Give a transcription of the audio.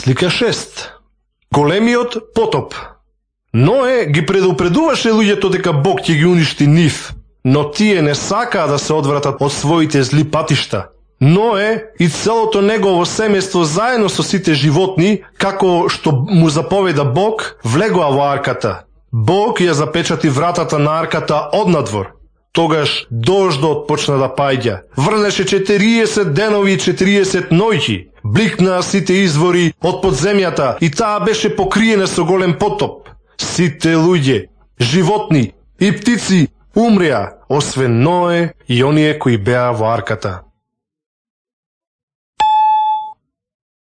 Слика 6. Големиот потоп. Ное ги предупредуваше луѓето дека Бог ќе ги уништи нив, но тие не сакаа да се одвратат од своите зли патишта. Ное и целото негово семејство заедно со сите животни, како што му заповеда Бог, влегоа во арката. Бог ја запечати вратата на арката однадвор. Тогаш дождот почна да паѓа. Врнеше 40 денови и 40 ноќи. Бликнаа сите извори од подземјата и таа беше покриена со голем потоп. Сите луѓе, животни и птици умреа, освен Ное и оние кои беа во арката.